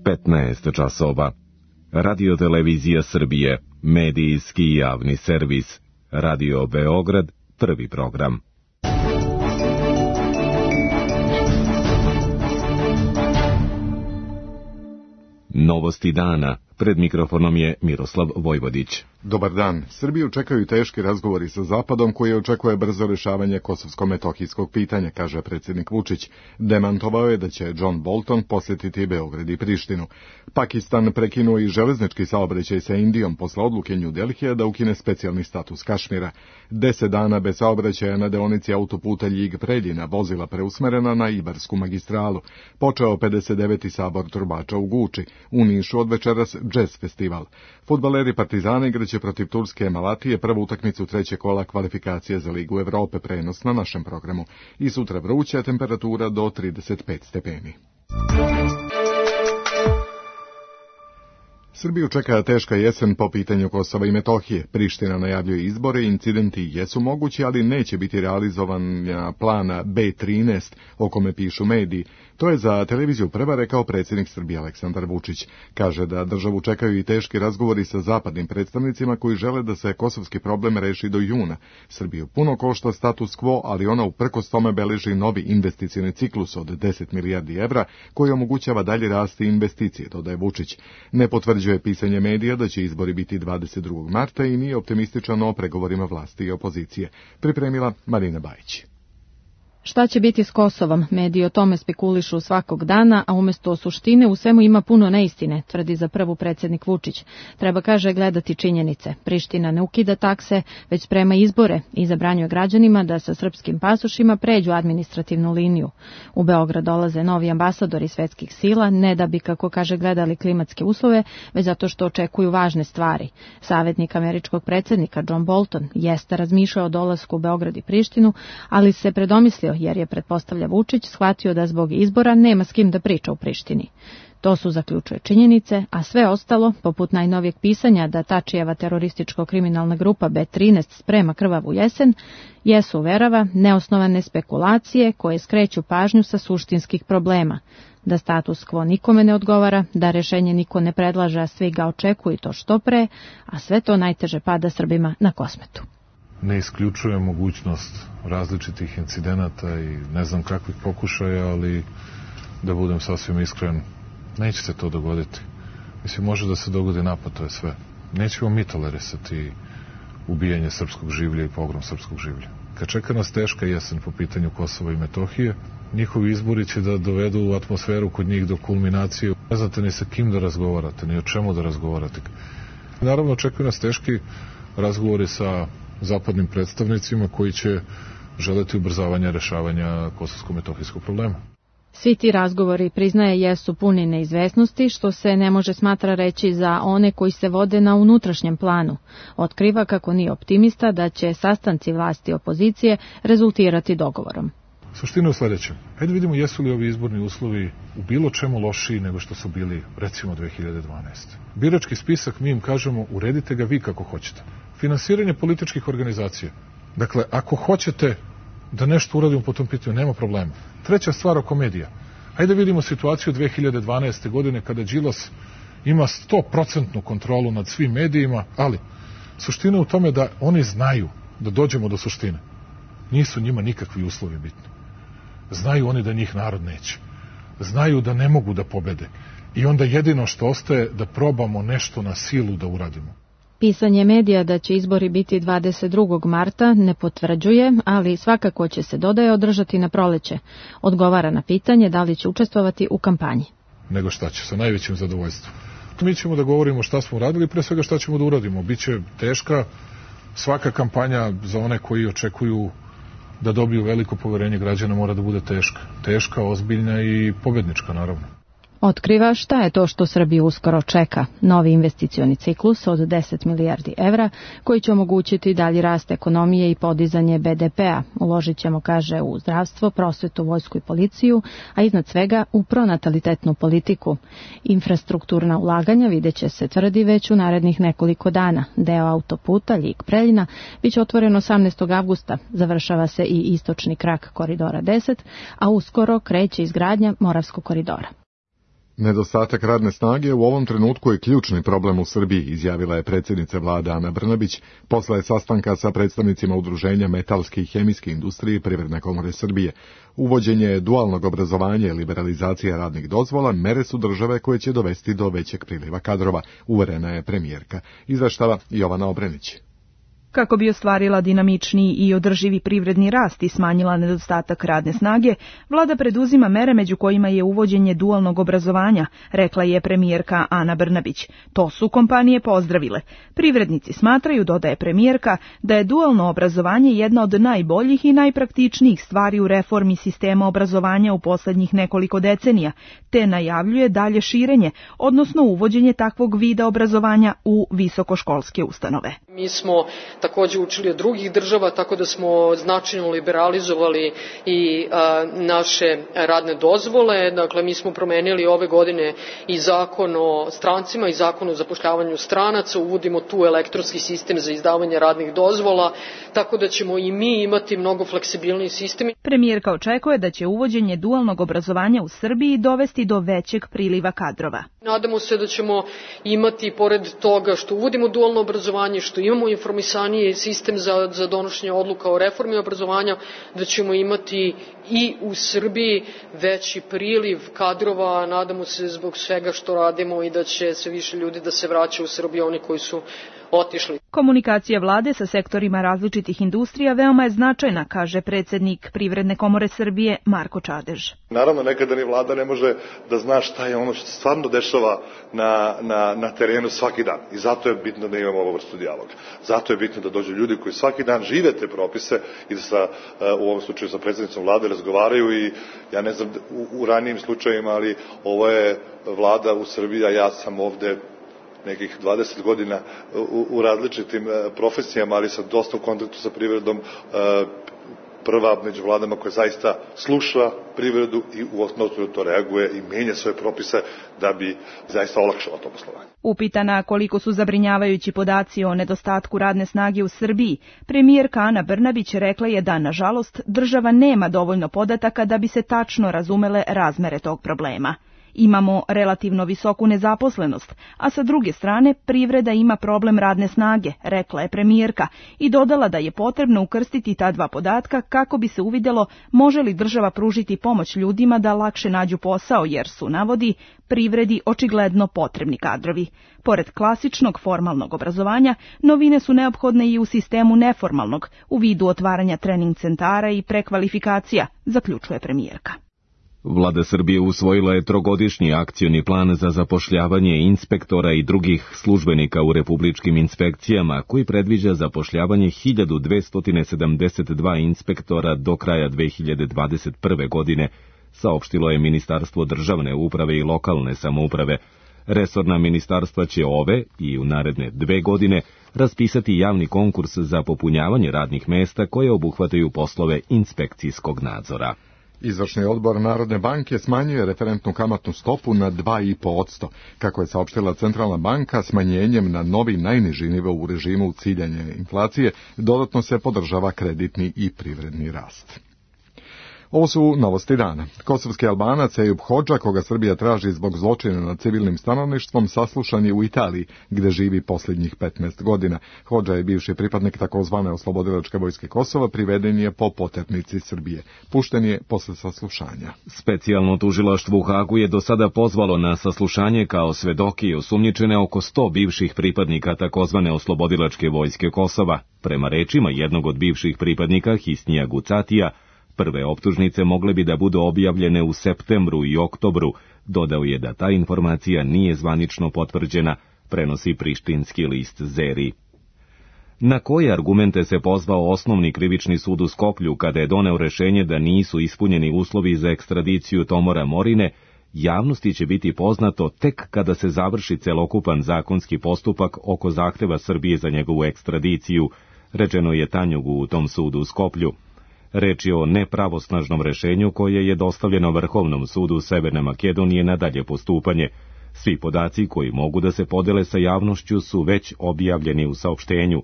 15 časova. Radio-televizija Srbije, medijski javni servis. Radio Beograd, prvi program. Novosti dana. Pred mikrofonom je Miroslav Vojvodić. Dobar dan. Srbiju čekaju teški razgovori sa Zapadom koji očekuje brzo rješavanje kosovsko-metohijskog pitanja, kaže predsjednik Vučić. Demantovao je da će John Bolton posjetiti Beograd i Prištinu. Pakistan prekinuo i železnički saobraćaj sa Indijom posle odluke New Delhija da ukine specijalni status Kašmira. 10 dana bez saobraćaja na deonici autoputa Ljig-Preljina, vozila preusmerena na Ibarsku magistralu. Počeo 59. sabor trubača u Guči. U Nišu od večeras jazz festival. Fudbaleri Partizana igraće protiv Turske Malatije prvu utakmicu trećeg kola kvalifikacije za Ligu Evrope, prenos na našem programu. I sutra vruća, temperatura do 35 stepeni. Srbiju čeka teška jesen po pitanju Kosova i Metohije. Priština najavljuje izbore, incidenti jesu mogući, ali neće biti realizovan plana B13, o kome pišu mediji. To je za televiziju prva rekao predsjednik Srbije Aleksandar Vučić. Kaže da državu čekaju i teški razgovori sa zapadnim predstavnicima koji žele da se kosovski problem reši do juna. Srbiju puno košta status quo, ali ona uprkos tome beleži novi investicioni ciklus od 10 milijardi evra koji omogućava dalje rasti investicije, dodaje Vučić. Ne potvrđuje pisanje medija da će izbori biti 22. marta i nije optimističan o pregovorima vlasti i opozicije. Pripremila Marina Bajić. Šta će biti s Kosovom? Mediji o tome spekulišu svakog dana, a umjesto suštine u svemu ima puno neistine, tvrdi za prvu predsjednik Vučić. Treba, kaže, gledati činjenice. Priština ne ukida takse, već sprema izbore i zabranjuje građanima da sa srpskim pasošima pređu administrativnu liniju. U Beograd dolaze novi ambasadori svetskih sila, ne da bi, kako kaže, gledali klimatske uslove, već zato što očekuju važne stvari. Savjetnik američkog predsjednika John Bolton jeste razmišljao o dolasku u Beograd i Prištinu, ali se predomislio jer je, pretpostavlja Vučić, shvatio da zbog izbora nema s kim da priča u Prištini. To su, zaključuje, činjenice, a sve ostalo, poput najnovijeg pisanja da Tačijeva terorističko-kriminalna grupa B13 sprema krvavu jesen, jesu, verava, neosnovane spekulacije koje skreću pažnju sa suštinskih problema. Da status quo nikome ne odgovara, da rješenje niko ne predlaže, a svi ga očekuju to što pre, a sve to najteže pada Srbima na Kosmetu. Ne isključuje mogućnost različitih incidenata i ne znam kakvih pokušaja, ali da budem sasvim iskren, neće se to dogoditi. Mislim, može da se dogodi napad, to je sve. Nećemo mi tolerisati ubijanje srpskog življa i pogrom srpskog življa. Kad čeka nas teška jesen po pitanju Kosova i Metohije, njihovi izbori će da dovedu u atmosferu kod njih do kulminacije. Ne znate ni sa kim da razgovarate, ni o čemu da razgovarate. Naravno, očekuju nas teški razgovori sa zapadnim predstavnicima koji će želeti ubrzavanje rešavanja kosovsko-metohijskog problema. Svi ti razgovori, priznaje, jesu puni neizvesnosti, što se ne može smatra reći za one koji se vode na unutrašnjem planu. Otkriva kako nije optimista da će sastanci vlasti i opozicije rezultirati dogovorom. Suština je u sljedećem. Hajde vidimo jesu li ovi izborni uslovi u bilo čemu lošiji nego što su bili, recimo, 2012. Birački spisak, mi im kažemo, uredite ga vi kako hoćete. Finansiranje političkih organizacija. Dakle, ako hoćete da nešto uradimo po tom pitanju, nema problema. Treća stvar oko medija. Hajde vidimo situaciju 2012. godine kada Đilas ima 100% kontrolu nad svim medijima, ali suština je u tome da oni znaju da dođemo do suštine. Nisu njima nikakvi uslovi bitni. Znaju oni da njih narod neće. Znaju da ne mogu da pobede. I onda jedino što ostaje da probamo nešto na silu da uradimo. Pisanje medija da će izbori biti 22. marta ne potvrđuje, ali svakako će se, dodaje, održati na proleće. Odgovara na pitanje da li će učestvovati u kampanji. Nego šta će, sa najvećim zadovoljstvom. Mi ćemo da govorimo šta smo uradili, pre svega šta ćemo da uradimo. Biće teška svaka kampanja za one koji očekuju da dobiju veliko poverenje građana mora da bude teška. Teška, ozbiljna i pobednička, naravno. Otkriva šta je to što Srbiju uskoro čeka. Novi investicioni ciklus od 10 milijardi evra koji će omogućiti dalji rast ekonomije i podizanje BDP-a. Uložit ćemo, kaže, u zdravstvo, prosvetu, vojsku i policiju, a iznad svega u pronatalitetnu politiku. Infrastrukturna ulaganja vidjet će se, tvrdi, već u narednih nekoliko dana. Deo autoputa Ljig-Preljina biće otvoren 18. avgusta. Završava se i istočni krak koridora 10, a uskoro kreće izgradnja Moravskog koridora. Nedostatak radne snage u ovom trenutku je ključni problem u Srbiji, izjavila je predsjednica vlade Ana Brnabić posle sastanka sa predstavnicima udruženja metalske i hemijske industrije i Privredne komore Srbije. Uvođenje dualnog obrazovanja i liberalizacija radnih dozvola mere su države koje će dovesti do većeg priliva kadrova, uverena je premijerka. Izveštava Jovana Obrenić. Kako bi ostvarila dinamičniji i održivi privredni rast i smanjila nedostatak radne snage, vlada preduzima mere među kojima je uvođenje dualnog obrazovanja, rekla je premijerka Ana Brnabić. To su kompanije pozdravile. Privrednici smatraju, dodaje premijerka, da je dualno obrazovanje jedna od najboljih i najpraktičnijih stvari u reformi sistema obrazovanja u poslednjih nekoliko decenija, te najavljuje dalje širenje, odnosno uvođenje takvog vida obrazovanja u visokoškolske ustanove. Mi smo također učili od drugih država, tako da smo značajno liberalizovali i naše radne dozvole. Dakle, mi smo promenili ove godine i zakon o strancima i zakon o zapošljavanju stranaca, uvodimo tu elektronski sistem za izdavanje radnih dozvola, tako da ćemo i mi imati mnogo fleksibilniji sistem. Premijerka očekuje da će uvođenje dualnog obrazovanja u Srbiji dovesti do većeg priliva kadrova. Nadamo se da ćemo imati, pored toga što uvodimo dualno obrazovanje, što imamo informisanije sistem za donošenje odluka o reformi obrazovanja, da ćemo imati i u Srbiji veći priliv kadrova. Nadamo se zbog svega što radimo i da će se više ljudi da se vraća u Srbiju, oni koji su otišli. Komunikacija vlade sa sektorima različitih industrija veoma je značajna, kaže predsjednik Privredne komore Srbije Marko Čadež. Naravno, nekada ni vlada ne može da zna šta je ono što se stvarno dešava na terenu svaki dan. I zato je bitno da imamo ovu vrstu dijaloga. Zato je bitno da dođu ljudi koji svaki dan žive te propise i da u ovom slučaju sa predsjednicom vlade razgovaraju i ja ne znam u ranijim slučajima, ali ovo je vlada u Srbiji, a ja sam ovde nekih 20 godina u različitim profesijama, ali sam dosta u kontaktu sa privredom, prva među vladama koja zaista sluša privredu i u osnovu to reaguje i menja svoje propise da bi zaista olakšala to poslovanje. Upitana koliko su zabrinjavajući podaci o nedostatku radne snage u Srbiji, premijerka Ana Brnabić rekla je da, nažalost, država nema dovoljno podataka da bi se tačno razumele razmere tog problema. Imamo relativno visoku nezaposlenost, a sa druge strane privreda ima problem radne snage, rekla je premijerka i dodala da je potrebno ukrstiti ta dva podatka kako bi se uvidelo može li država pružiti pomoć ljudima da lakše nađu posao jer su, navodi, privredi očigledno potrebni kadrovi. Pored klasičnog formalnog obrazovanja, novine su neophodne i u sistemu neformalnog, u vidu otvaranja trening centara i prekvalifikacija, zaključuje premijerka. Vlada Srbije usvojila je trogodišnji akcioni plan za zapošljavanje inspektora i drugih službenika u republičkim inspekcijama, koji predviđa zapošljavanje 1272 inspektora do kraja 2021. godine, saopštilo je Ministarstvo državne uprave i lokalne samouprave. Resorna ministarstva će ove i u naredne 2 godine raspisati javni konkurs za popunjavanje radnih mesta koje obuhvataju poslove inspekcijskog nadzora. Izvršni odbor Narodne banke smanjuje referentnu kamatnu stopu na 2,5%. Kako je saopštila Centralna banka, smanjenjem na novi najniži nivo u režimu ciljanja inflacije dodatno se podržava kreditni i privredni rast. Ovo su novosti dana. Kosovski Albanac Ejub Hodža, koga Srbija traži zbog zločina nad civilnim stanovništvom, saslušan je u Italiji, gde živi posljednjih 15 godina. Hodža je bivši pripadnik takozvane oslobodilačke vojske Kosova, priveden je po poternici Srbije. Pušten je posle saslušanja. Specijalno tužilaštvo u Hagu je do sada pozvalo na saslušanje kao svedoke i osumnjičene oko 100 bivših pripadnika takozvane oslobodilačke vojske Kosova. Prema rečima jednog od bivših pripadnika, Hisnija Gucatija, prve optužnice mogle bi da budu objavljene u septembru i oktobru. Dodao je da ta informacija nije zvanično potvrđena, prenosi prištinski list Zeri. Na koje argumente se pozvao Osnovni krivični sud u Skoplju kada je doneo rešenje da nisu ispunjeni uslovi za ekstradiciju Tomora Morine, javnosti će biti poznato tek kada se završi celokupan zakonski postupak oko zahteva Srbije za njegovu ekstradiciju, rečeno je Tanjugu u tom sudu u Skoplju. Reč je o nepravosnažnom rešenju koje je dostavljeno Vrhovnom sudu Severne Makedonije na dalje postupanje. Svi podaci koji mogu da se podele sa javnošću su već objavljeni u saopštenju.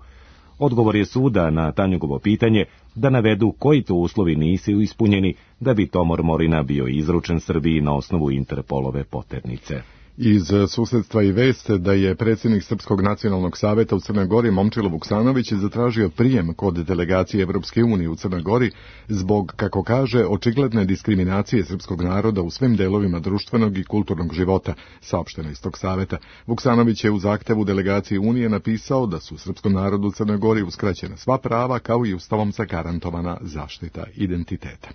Odgovor je suda na Tanjugovo pitanje da navedu koji to uslovi nisu ispunjeni da bi Tomor Morina bio izručen Srbiji na osnovu Interpolove poternice. Iz susedstva i vest da je predsjednik Srpskog nacionalnog saveta u Crnoj Gori Momčilo Vuksanović zatražio prijem kod delegacije Evropske unije u Crnoj Gori zbog, kako kaže, očigledne diskriminacije srpskog naroda u svim delovima društvenog i kulturnog života, saopšteno iz tog saveta. Vuksanović je u zahtevu delegacije Unije napisao da su srpskom narodu u Crnoj Gori uskraćena sva prava kao i ustavom zagarantovana zaštita identiteta.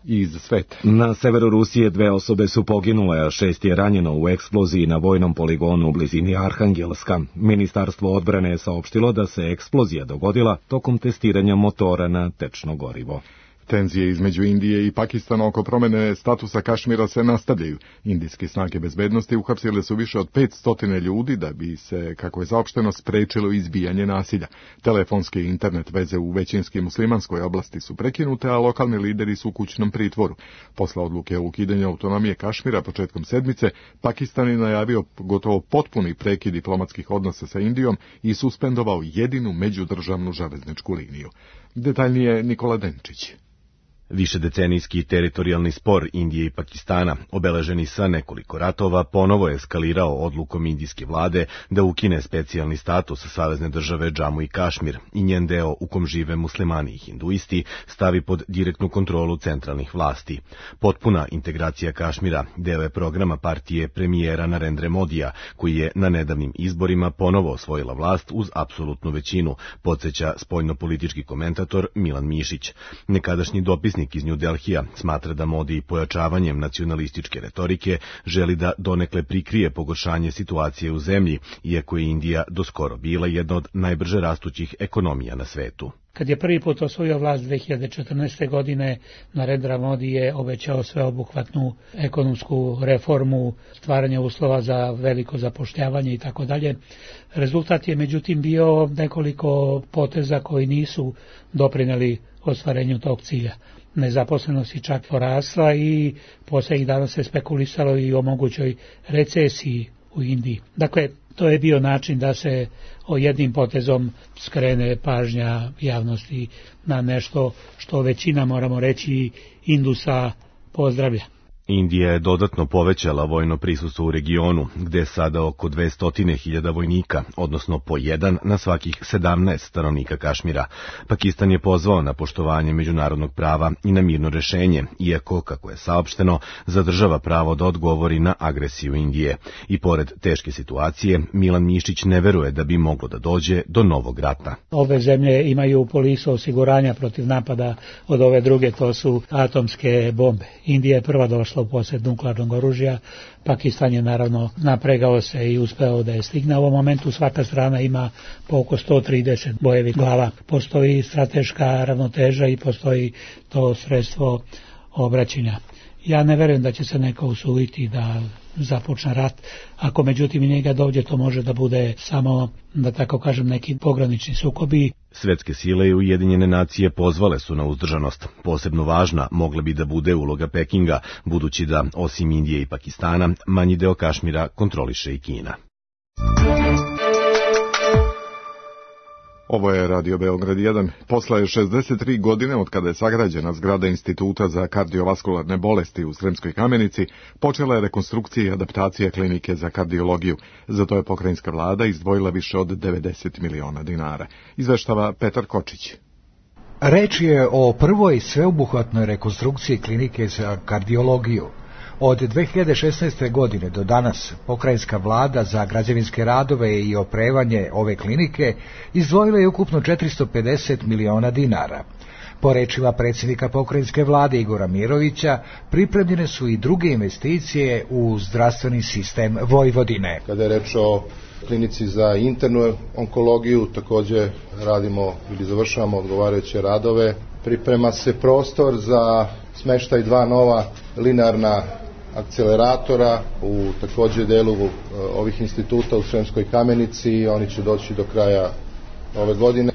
Iz sveta. Na severu Rusije 2 osobe su poginule, a 6 je ranjeno u eksploziji na vojnom poligonu u blizini Arhangelska. Ministarstvo odbrane je saopštilo da se eksplozija dogodila tokom testiranja motora na tečno gorivo. Tenzije između Indije i Pakistana oko promjene statusa Kašmira se nastavljaju. Indijske snage bezbednosti uhapsile su više od 500 ljudi da bi se, kako je saopšteno, sprečilo izbijanje nasilja. Telefonske i internet veze u većinski muslimanskoj oblasti su prekinute, a lokalni lideri su u kućnom pritvoru. Posle odluke o ukidanju autonomije Kašmira početkom sedmice, Pakistan je najavio gotovo potpuni prekid diplomatskih odnosa sa Indijom i suspendovao jedinu međudržavnu železničku liniju. Detaljnije Nikola Denčić. Višedecenijski teritorijalni spor Indije i Pakistana, obeleženi sa nekoliko ratova, ponovo je eskalirao odlukom indijske vlade da ukine specijalni status savezne države Džamu i Kašmir i njen deo u kom žive muslimani i hinduisti stavi pod direktnu kontrolu centralnih vlasti. Potpuna integracija Kašmira deo je programa partije premijera Narendra Modija, koji je na nedavnim izborima ponovo osvojila vlast uz apsolutnu većinu, podsjeća spoljnopolitički komentator Milan Mišić. Nekadašnji dopisnik iz New Delhija smatra da Modi pojačavanjem nacionalističke retorike želi da donekle prikrije pogoršanje situacije u zemlji, iako je Indija doskoro bila jedna od najbrže rastućih ekonomija na svetu. Kad je prvi put osvojio vlast 2014. godine, Narendra Modi je obećao sveobuhvatnu ekonomsku reformu, stvaranje uslova za veliko zapošljavanje i tako dalje. Rezultat je međutim bio nekoliko poteza koji nisu doprineli ostvarenju tog cilja. Nezaposlenost je čak porasla i posljednjih dana se spekulisalo i o mogućoj recesiji u Indiji. Dakle, to je bio način da se jednim potezom skrene pažnja javnosti na nešto što većina, moramo reći, Indusa pozdravlja. Indija je dodatno povećala vojno prisustvo u regionu, gde je sada oko 200.000 vojnika, odnosno po jedan na svakih 17 stanovnika Kašmira. Pakistan je pozvao na poštovanje međunarodnog prava i na mirno rešenje, iako, kako je saopšteno, zadržava pravo da odgovori na agresiju Indije. I pored teške situacije, Milan Mišić ne veruje da bi moglo da dođe do novog rata. Ove zemlje imaju polisu osiguranja protiv napada od ove druge, to su atomske bombe. Indija je prva došla u posjed nuklearnog oružja, Pakistan je naravno napregao se i uspeo da je stigne. U ovom momentu svaka strana ima po oko 130 bojevih glava. Postoji strateška ravnoteža i postoji to sredstvo obraćanja. Ja ne verujem da će se neko usuditi da započne rat. Ako međutim i njega dođe, to može da bude samo, da tako kažem, neki pogranični sukobi. Svetske sile i Ujedinjene nacije pozvale su na uzdržanost. Posebno važna mogla bi da bude uloga Pekinga, budući da, osim Indije i Pakistana, manji deo Kašmira kontroliše i Kina. Ovo je Radio Beograd 1. Posle 63 godine od kada je sagrađena zgrada Instituta za kardiovaskularne bolesti u Sremskoj Kamenici, počela je rekonstrukcija i adaptacija klinike za kardiologiju. Za to je pokrajinska vlada izdvojila više od 90 miliona dinara. Izveštava Petar Kočić. Reč je o prvoj sveobuhvatnoj rekonstrukciji klinike za kardiologiju. Od 2016. godine do danas pokrajinska vlada za građevinske radove i opremanje ove klinike izdvojila je ukupno 450 miliona dinara. Po rečima predsjednika pokrajinske vlade Igora Mirovića, pripremljene su i druge investicije u zdravstveni sistem Vojvodine. Kada je reč o klinici za internu onkologiju, također radimo ili završavamo odgovarajuće radove. Priprema se prostor za smeštaj 2 nova linearna akceleratora u također delu ovih instituta u Sremskoj Kamenici. Oni će doći do kraja ove godine.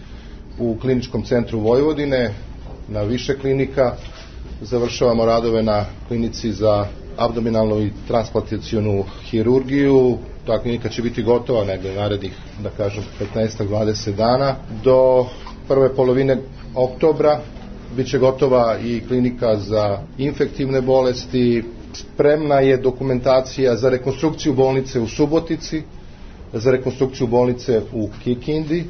U kliničkom centru Vojvodine na više klinika završavamo radove na klinici za abdominalnu i transplantacionu hirurgiju. Ta klinika će biti gotova negde narednih, da kažem, 15-20 dana. Do prve polovine oktobra biće gotova i klinika za infektivne bolesti. Spremna je dokumentacija za rekonstrukciju bolnice u Subotici, za rekonstrukciju bolnice u Kikindi.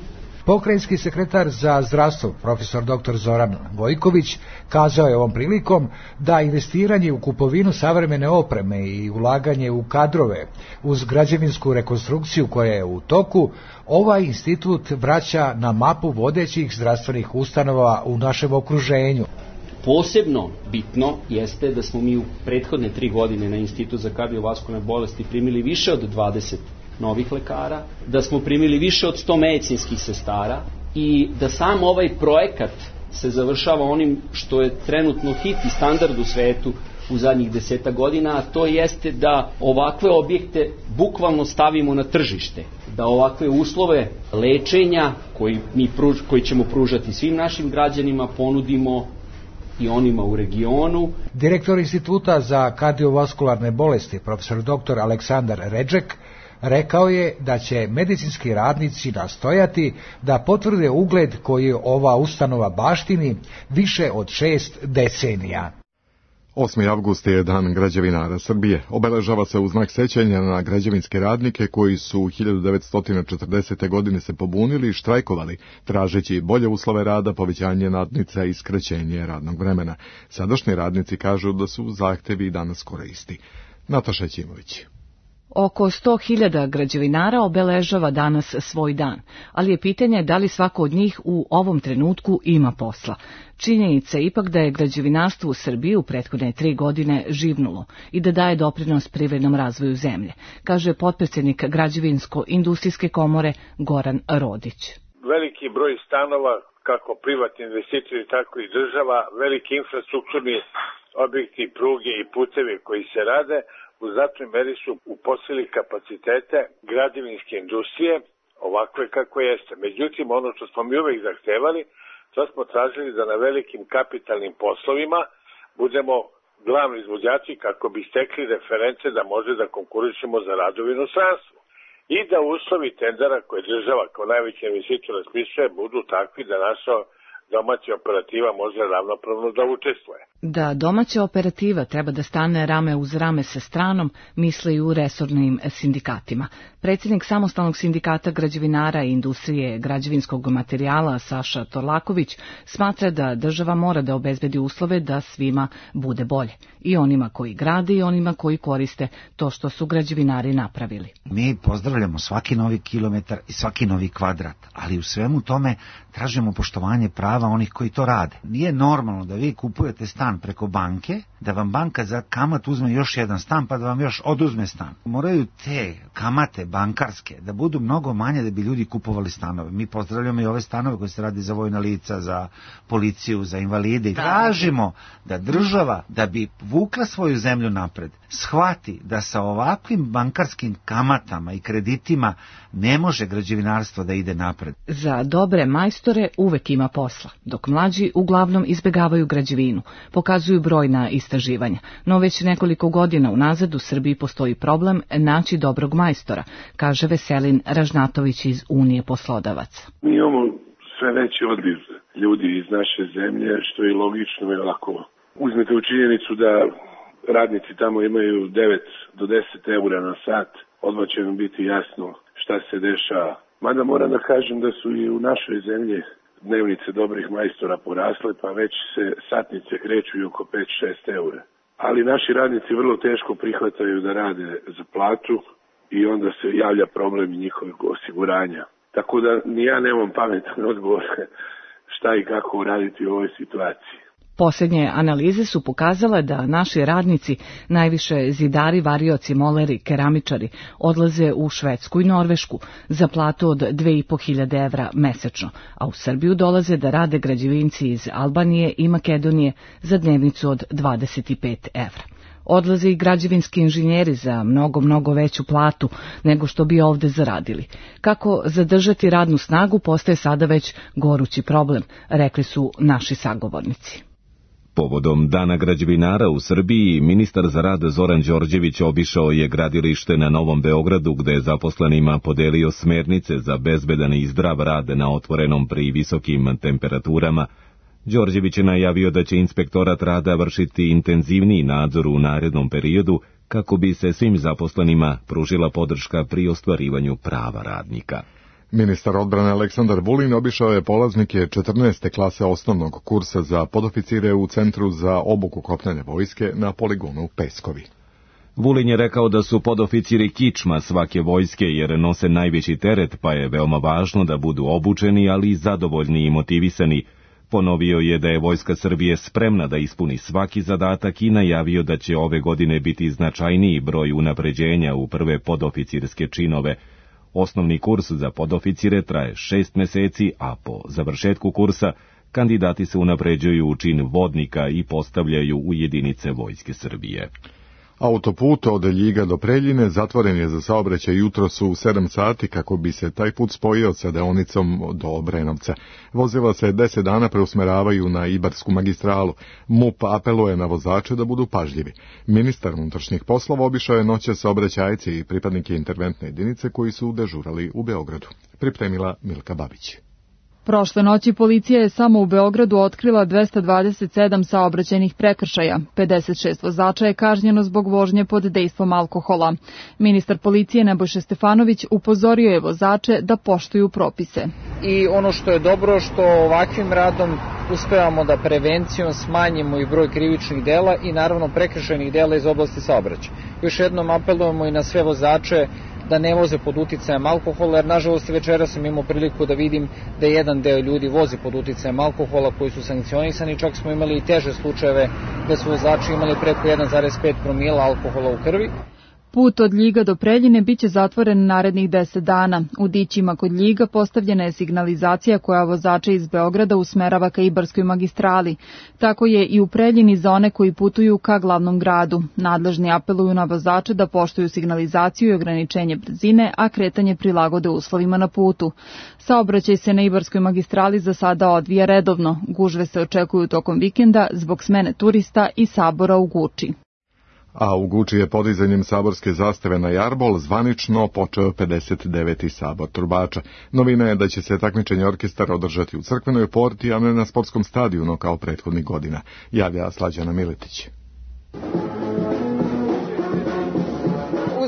Pokrajinski sekretar za zdravstvo, profesor dr. Zoran Vojković, kazao je ovom prilikom da investiranje u kupovinu savremene opreme i ulaganje u kadrove uz građevinsku rekonstrukciju koja je u toku, ovaj institut vraća na mapu vodećih zdravstvenih ustanova u našem okruženju. Posebno bitno jeste da smo mi u prethodne 3 godine na Institut za kardiovaskularne bolesti primili više od 20 novih lekara, da smo primili više od 100 medicinskih sestara i da sam ovaj projekat se završava onim što je trenutno hit i standard u svetu u zadnjih 10 godina, a to jeste da ovakve objekte bukvalno stavimo na tržište, da ovakve uslove lečenja koji ćemo pružati svim našim građanima ponudimo i onima u regionu. Direktor Instituta za kardiovaskularne bolesti, profesor dr. Aleksandar Redžek, rekao je da će medicinski radnici nastojati da potvrde ugled koji ova ustanova baštini više od 6 decenija. 8. avgust je dan građevinara Srbije. Obeležava se u znak sećanja na građevinske radnike koji su 1940. godine se pobunili i štrajkovali, tražeći bolje uslove rada, povećanje nadnica i skraćenje radnog vremena. Sadašnji radnici kažu da su zahtevi danas skoro isti. Nataša Ćimović. Oko 100.000 građevinara obeležava danas svoj dan, ali je pitanje da li svako od njih u ovom trenutku ima posla. Činjenica je ipak da je građevinarstvo u Srbiji u prethodne 3 godine živnulo i da daje doprinos privrednom razvoju zemlje, kaže potpredsjednik Građevinsko-industrijske komore Goran Rodić. Veliki broj stanova, kako privatni investitori, tako i država, veliki infrastrukturni objekti, pruge i putevi koji se rade, u znatnoj meri su uposlili kapacitete građevinske industrije ovakve kako jeste. Međutim, ono što smo mi uvek zahtevali, to smo tražili da na velikim kapitalnim poslovima budemo glavni izvođači kako bi stekli reference da može da konkurišemo za radove u inostranstvu. I da uslovi tendera koje država kao najveći investitor raspisuje budu takvi da naša domaća operativa može ravnopravno da učestvuje. Da domaća operativa treba da stane rame uz rame sa stranom, misle i u resornim sindikatima. Predsjednik samostalnog sindikata građevinara i industrije građevinskog materijala Saša Torlaković smatra da država mora da obezbedi uslove da svima bude bolje. I onima koji grade i onima koji koriste to što su građevinari napravili. Mi pozdravljamo svaki novi kilometar i svaki novi kvadrat, ali u svemu tome tražimo poštovanje prava onih koji to rade. Nije normalno da vi kupujete stan preko banke, da vam banka za kamat uzme još jedan stan pa da vam još oduzme stan. Moraju te kamate bankarske da budu mnogo manje da bi ljudi kupovali stanove. Mi pozdravljamo i ove stanove koje se radi za vojna lica, za policiju, za invalide i tražimo da država, da bi vukla svoju zemlju napred, shvati da sa ovakvim bankarskim kamatama i kreditima ne može građevinarstvo da ide napred. Za dobre majstore uvek ima posla, dok mlađi uglavnom izbegavaju građevinu, pokazuju brojna istraživanja. No već nekoliko godina unazad u Srbiji postoji problem naći dobrog majstora, kaže Veselin Ražnatović iz Unije poslodavaca. Mi imamo sve veći odliv ljudi iz naše zemlje, što je logično, jer ako uzmete u činjenicu da radnici tamo imaju 9 do 10 eura na sat, odmah će vam biti jasno šta se dešava. Mada moram da kažem da su i u našoj zemlji dnevnice dobrih majstora porasle, pa već se satnice kreću i oko 5-6 eura. Ali naši radnici vrlo teško prihvataju da rade za platu i onda se javlja problem njihovog osiguranja. Tako da ni ja nemam pametan odgovor šta i kako uraditi u ovoj situaciji. Posljednje analize su pokazale da naši radnici, najviše zidari, varioci, moleri, keramičari, odlaze u Švedsku i Norvešku za platu od 2.500 evra mesečno, a u Srbiju dolaze da rade građevinci iz Albanije i Makedonije za dnevnicu od 25 evra. Odlaze i građevinski inženjeri za mnogo veću platu nego što bi ovde zaradili. Kako zadržati radnu snagu postaje sada već gorući problem, rekli su naši sagovornici. Povodom Dana građevinara u Srbiji, ministar za rad Zoran Đorđević obišao je gradilište na Novom Beogradu gde je zaposlenima podelio smernice za bezbedan i zdrav rad na otvorenom pri visokim temperaturama. Đorđević je najavio da će inspektorat rada vršiti intenzivniji nadzor u narednom periodu kako bi se svim zaposlenima pružila podrška pri ostvarivanju prava radnika. Ministar odbrane Aleksandar Vulin obišao je polaznike 14. klase osnovnog kursa za podoficire u Centru za obuku kopnene vojske na poligonu Peskovi. Vulin je rekao da su podoficiri kičma svake vojske jer nose najveći teret, pa je veoma važno da budu obučeni, ali i zadovoljni i motivisani. Ponovio je da je Vojska Srbije spremna da ispuni svaki zadatak i najavio da će ove godine biti značajniji broj unapređenja u prve podoficirske činove. Osnovni kurs za podoficire traje 6 meseci, a po završetku kursa kandidati se unapređuju u čin vodnika i postavljaju u jedinice Vojske Srbije. Autoput od Ljiga do Preljine zatvoren je za saobraćaj jutros u 7 sati kako bi se taj put spojio sa deonicom do Obrenovca. Vozila se 10 dana preusmeravaju na Ibarsku magistralu. MUP apeluje na vozače da budu pažljivi. Ministar unutrašnjih poslova obišao je noćas saobraćajce i pripadnike interventne jedinice koji su dežurali u Beogradu. Pripremila Milka Babić. Prošle noći policija je samo u Beogradu otkrila 227 saobraćajnih prekršaja. 56 vozača je kažnjeno zbog vožnje pod dejstvom alkohola. Ministar policije Nebojša Stefanović upozorio je vozače da poštuju propise. I ono što je dobro, što ovakvim radom uspevamo da prevencijom smanjimo i broj krivičnih dela i naravno prekršajnih dela iz oblasti saobraćaja. Još jednom apelujemo i na sve vozače da ne voze pod uticajem alkohola, jer nažalost večera sam imao priliku da vidim da jedan deo ljudi vozi pod uticajem alkohola koji su sankcionisani, čak smo imali i teže slučajeve da su vozači imali preko 1,5 promila alkohola u krvi. Put od Ljiga do Preljine biće zatvoren narednih 10 dana. U Dićima kod Ljiga postavljena je signalizacija koja vozače iz Beograda usmerava ka Ibarskoj magistrali. Tako je i u Preljini za one koji putuju ka glavnom gradu. Nadležni apeluju na vozače da poštuju signalizaciju i ograničenje brzine, a kretanje prilagode uslovima na putu. Saobraćaj se na Ibarskoj magistrali za sada odvija redovno. Gužve se očekuju tokom vikenda zbog smene turista i sabora u Guči. A u Guči je podizanjem saborske zastave na Jarbol zvanično počeo 59. sabor trubača. Novina je da će se takmičenje orkestara održati u crkvenoj porti, a ne na sportskom stadionu kao prethodnih godina, javlja Slađana Miletić.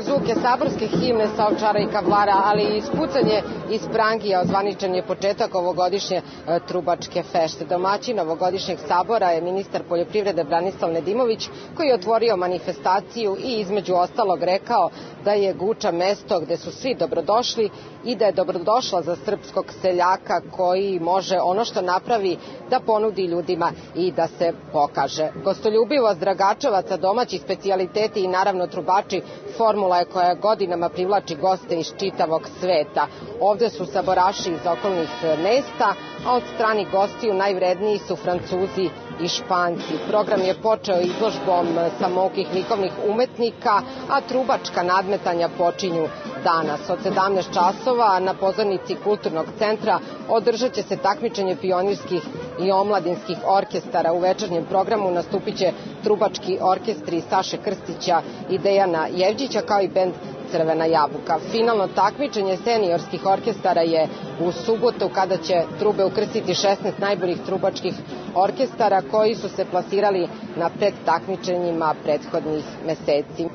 Zvuke saborske himne sa Ovčara i Kavlara, ali i ispucanje iz prangija ozvaničen je početak ovogodišnje trubačke fešte. Domaćin ovogodišnjeg sabora je ministar poljoprivrede Branislav Nedimović, koji je otvorio manifestaciju i između ostalog rekao da je Guča mesto gde su svi dobrodošli i da je dobrodošla za srpskog seljaka koji može ono što napravi da ponudi ljudima i da se pokaže. Gostoljubivost Dragačevaca, domaći specijaliteti i naravno trubači formula je koja godinama privlači goste iz čitavog sveta. Ovde su saboraši iz okolnih mesta, a od strani gostiju najvredniji su Francuzi i Španci. Program je počeo izložbom samoukih likovnih umetnika, a trubačka nadmetanja počinju danas. Od 17 časova na pozornici Kulturnog centra održat će se takmičenje pionirskih i omladinskih orkestara. U večernjem programu nastupit će trubački orkestri Saše Krstića i Dejana Jevđića, kao i bend Crvena jabuka. Finalno takmičenje seniorskih orkestara je u subotu, kada će trube ukrstiti 16 najboljih trubačkih orkestara koji su se plasirali na predtakmičenjima prethodnih meseci.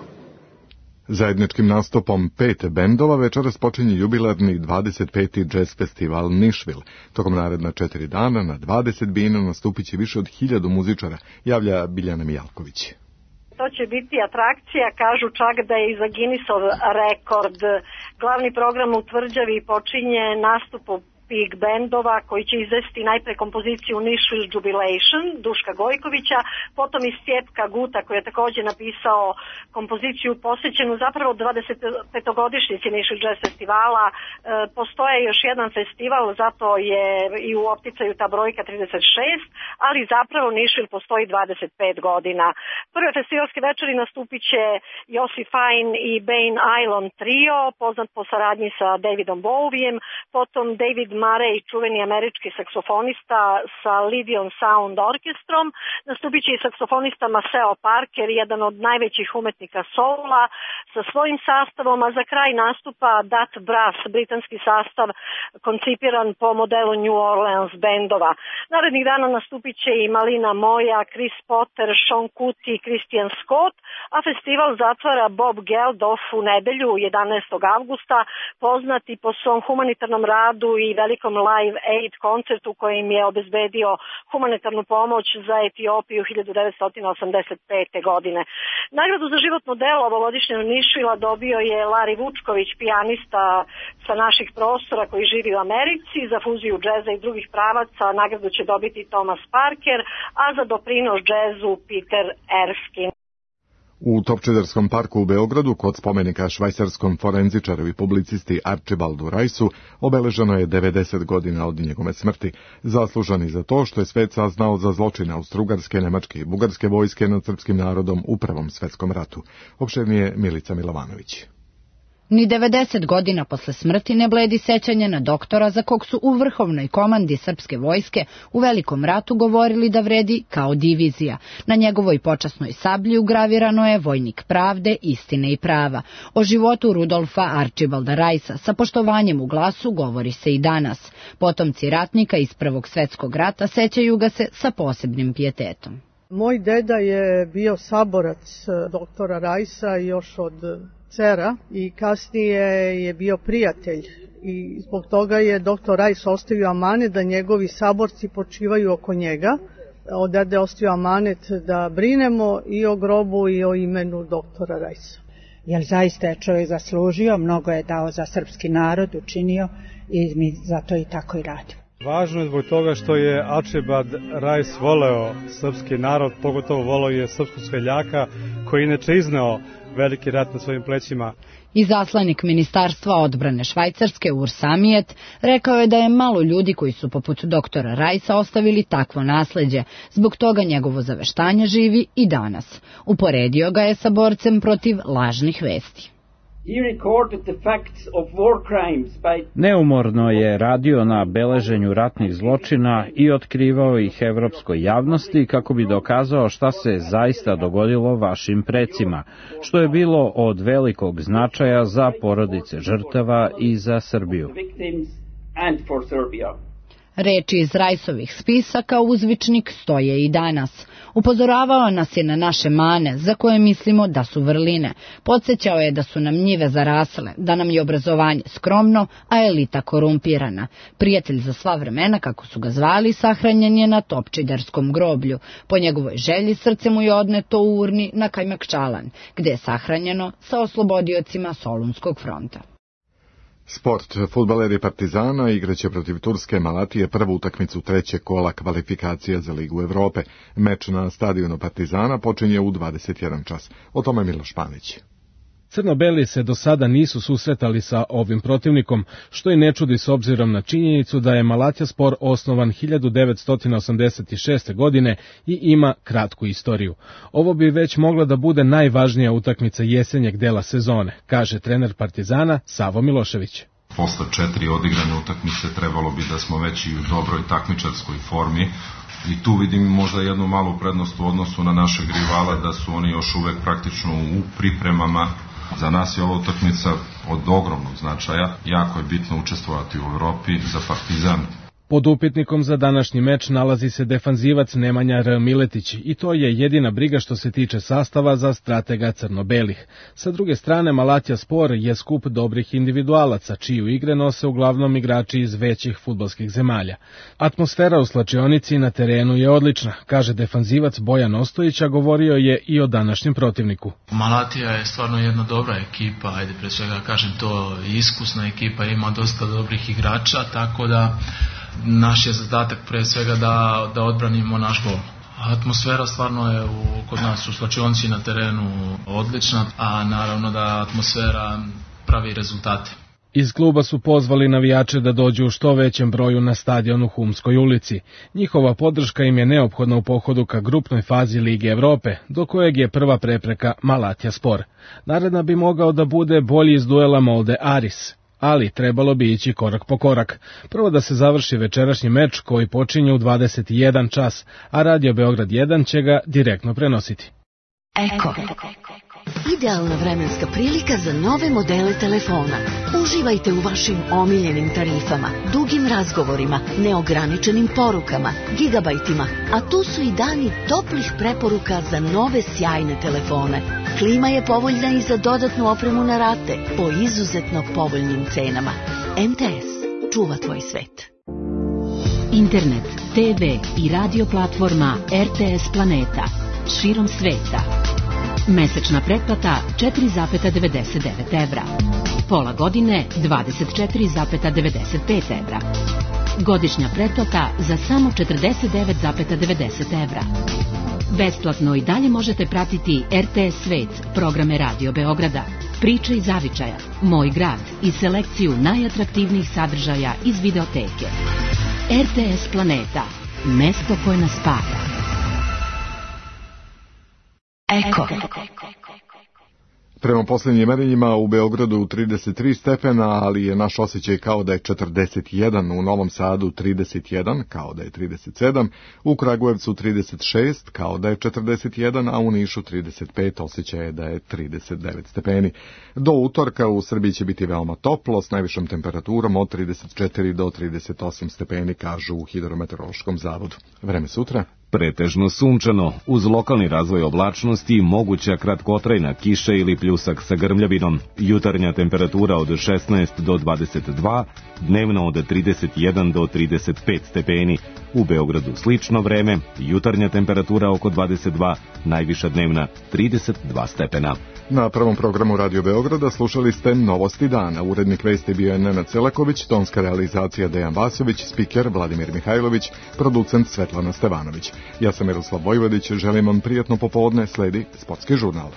Zajedničkim nastupom 5 bendova večeras počinje jubilarni 25. jazz festival Nišvil. Tokom naredna 4 dana na 20 bina nastupit će više od 1000 muzičara, javlja Biljana Mijalković. To će biti atrakcija, kažu čak da je i za Guinnessov rekord. Glavni program u Tvrđavi počinje nastupom big bendova koji će izvesti najpre kompoziciju Nishville Jubilation Duška Gojkovića, potom i Stjepka Guta koji je također napisao kompoziciju posvećenu zapravo 25-godišnjici Nishville Jazz Festivala. Postoje još jedan festival, zato je i u opticaju ta brojka 36, ali zapravo Nishville postoji 25 godina. Prve festivalske večeri nastupit će Jossi Fine i Bane Island Trio, poznat po saradnji sa Davidom Bowiem, potom David Marey, čuveni američki saksofonista sa Lydion Sound orkestrom. Nastupit će i saksofonista Maceo Parker, jedan od najvećih umetnika soula, sa svojim sastavom, a za kraj nastupa Dat Brass, britanski sastav koncipiran po modelu New Orleans bendova. Narednih dana nastupit će i Malina Moja, Chris Potter, Sean Kuti i Christian Scott, a festival zatvara Bob Geldof u nedelju 11. avgusta, poznati po svom humanitarnom radu i velikom Live Aid koncertu kojim je obezbedio humanitarnu pomoć za Etiopiju 1985. godine. Nagradu za životno delo ovogodišnje Nišvila dobio je Lari Vučković, pijanista sa naših prostora koji živi u Americi. Za fuziju džeza i drugih pravaca nagradu će dobiti Thomas Parker, a za doprinos džezu Peter Erskine. U Topčiderskom parku u Beogradu, kod spomenika švajcarskom forenzičaru i publicisti Arčibaldu Rajsu, obeleženo je 90 godina od njegove smrti, zaslužani za to što je svet saznao za zločine Austrougarske, Nemačke i Bugarske vojske nad srpskim narodom u Prvom svetskom ratu. Opširnije Milica Milovanović. Ni 90 godina posle smrti ne bledi sećanje na doktora za kog su u vrhovnoj komandi srpske vojske u Velikom ratu govorili da vredi kao divizija. Na njegovoj počasnoj sablji ugravirano je vojnik pravde, istine i prava. O životu Rudolfa Arčibalda Rajsa sa poštovanjem u glasu govori se i danas. Potomci ratnika iz Prvog svetskog rata sećaju ga se sa posebnim pijetetom. Moj deda je bio saborac doktora Rajsa još od Cera i kasnije je bio prijatelj i zbog toga je doktor Rajs ostavio amanet da njegovi saborci počivaju oko njega. Od dede ostavio amanet da brinemo i o grobu i o imenu doktora Rajsa. Jer zaista je čovjek zaslužio, mnogo je dao za srpski narod, učinio i mi zato i tako i radimo. Važno je zbog toga što je Arčibald Rajs voleo srpski narod, pogotovo voleo je srpskog seljaka koji inače izneo veliki rat na svojim plećima. Izaslanik Ministarstva odbrane Švajcarske Urs Amijet rekao je da je malo ljudi koji su poput doktora Rajsa ostavili takvo nasleđe, zbog toga njegovo zaveštanje živi i danas. Uporedio ga je sa borcem protiv lažnih vesti. Neumorno je radio na beleženju ratnih zločina i otkrivao ih evropskoj javnosti kako bi dokazao šta se zaista dogodilo vašim precima, što je bilo od velikog značaja za porodice žrtava i za Srbiju. Reči iz Rajsovih spisaka uzvičnik stoje i danas. Upozoravao nas je na naše mane, za koje mislimo da su vrline. Podsjećao je da su nam njive zarasle, da nam je obrazovanje skromno, a elita korumpirana. Prijatelj za sva vremena, kako su ga zvali, sahranjen je na Topčiderskom groblju. Po njegovoj želji srce mu je odneto u urni na Kajmakčalan, gde je sahranjeno sa oslobodiocima Solunskog fronta. Sport. Fudbaleri Partizana igraće protiv Turske Malatije prvu utakmicu trećeg kola kvalifikacija za Ligu Evrope. Meč na stadionu Partizana počinje u 21 čas. O tome Miloš Panić. Crno-beli se do sada nisu susretali sa ovim protivnikom, što i ne čudi s obzirom na činjenicu da je Malatyaspor osnovan 1986. godine i ima kratku istoriju. Ovo bi već mogla da bude najvažnija utakmica jesenjeg dela sezone, kaže trener Partizana Savo Milošević. Posle 4 odigrane utakmice trebalo bi da smo već i u dobroj takmičarskoj formi. I tu vidim možda jednu malu prednost u odnosu na našeg rivala, da su oni još uvek praktično u pripremama. Za nas je ova utakmica od ogromnog značaja. Jako je bitno učestvovati u Evropi za Partizan. Pod upitnikom za današnji meč nalazi se defanzivac Nemanja R. Miletić i to je jedina briga što se tiče sastava za stratega crno-belih. Sa druge strane, Malatyaspor je skup dobrih individualaca, čiju igre nose uglavnom igrači iz većih fudbalskih zemalja. Atmosfera u slačionici na terenu je odlična, kaže defanzivac Bojan Ostojić, a govorio je i o današnjem protivniku. Malatija je stvarno jedna dobra ekipa, ajde pre svega kažem to, iskusna ekipa, ima dosta dobrih igrača, tako da naš je zadatak pre svega da odbranimo naš gol. Atmosfera stvarno je kod nas u slačionci na terenu odlična, a naravno da atmosfera pravi rezultate. Iz kluba su pozvali navijače da dođu u što većem broju na stadion u Humskoj ulici. Njihova podrška im je neophodna u pohodu ka grupnoj fazi Lige Evrope, do kojeg je prva prepreka Malatyaspor. Naredna bi mogao da bude bolji iz duela Molde Aris. ali trebalo bi ići korak po korak. Prvo da se završi večerašnji meč koji počinje u 21 čas, a Radio Beograd 1 će ga direktno prenositi. Eko. Idealna vremenska prilika za nove modele telefona. Uživajte u vašim omiljenim tarifama, dugim razgovorima, neograničenim porukama, gigabajtima, a tu su i dani toplih preporuka za nove sjajne telefone. Klima je povoljna i za dodatnu opremu na rate po izuzetno povoljnim cenama. MTS čuva tvoj svet. Internet, TV i radio platforma RTS Planeta širom sveta. Mesečna pretplata 4,99 evra. Pola godine 24,95 evra. Godišnja pretplata za samo 49,90 evra. Besplatno i dalje možete pratiti RTS Svet, programe Radio Beograda, Priče iz zavičaja, Moj grad i selekciju najatraktivnijih sadržaja iz videoteke. RTS Planeta, mesto koje nas spaja. Eko. Prema posljednjim merenjima u Beogradu 33 stepena, ali je naš osjećaj kao da je 41, u Novom Sadu 31, kao da je 37, u Kragujevcu 36, kao da je 41, a u Nišu 35, osjećaj je da je 39 stepeni. Do utorka u Srbiji će biti veoma toplo, s najvišom temperaturom od 34 do 38 stepeni, kažu u Hidrometeorološkom zavodu. Vreme sutra? Pretežno sunčano, uz lokalni razvoj oblačnosti, moguća kratkotrajna kiša ili pljusak sa grmljavinom. Jutarnja temperatura od 16 do 22, dnevno od 31 do 35 stepeni. U Beogradu slično vreme, jutarnja temperatura oko 22, najviša dnevna 32 stepena. Na prvom programu Radio Beograda slušali ste Novosti dana. Urednik vesti bio je Nenad Selaković, tonska realizacija Dejan Vasović, spiker Vladimir Mihajlović, producent Svetlana Stevanović. Ja sam Miroslav Vojvodić, želim vam prijatno popodne, sledi Sportski žurnal.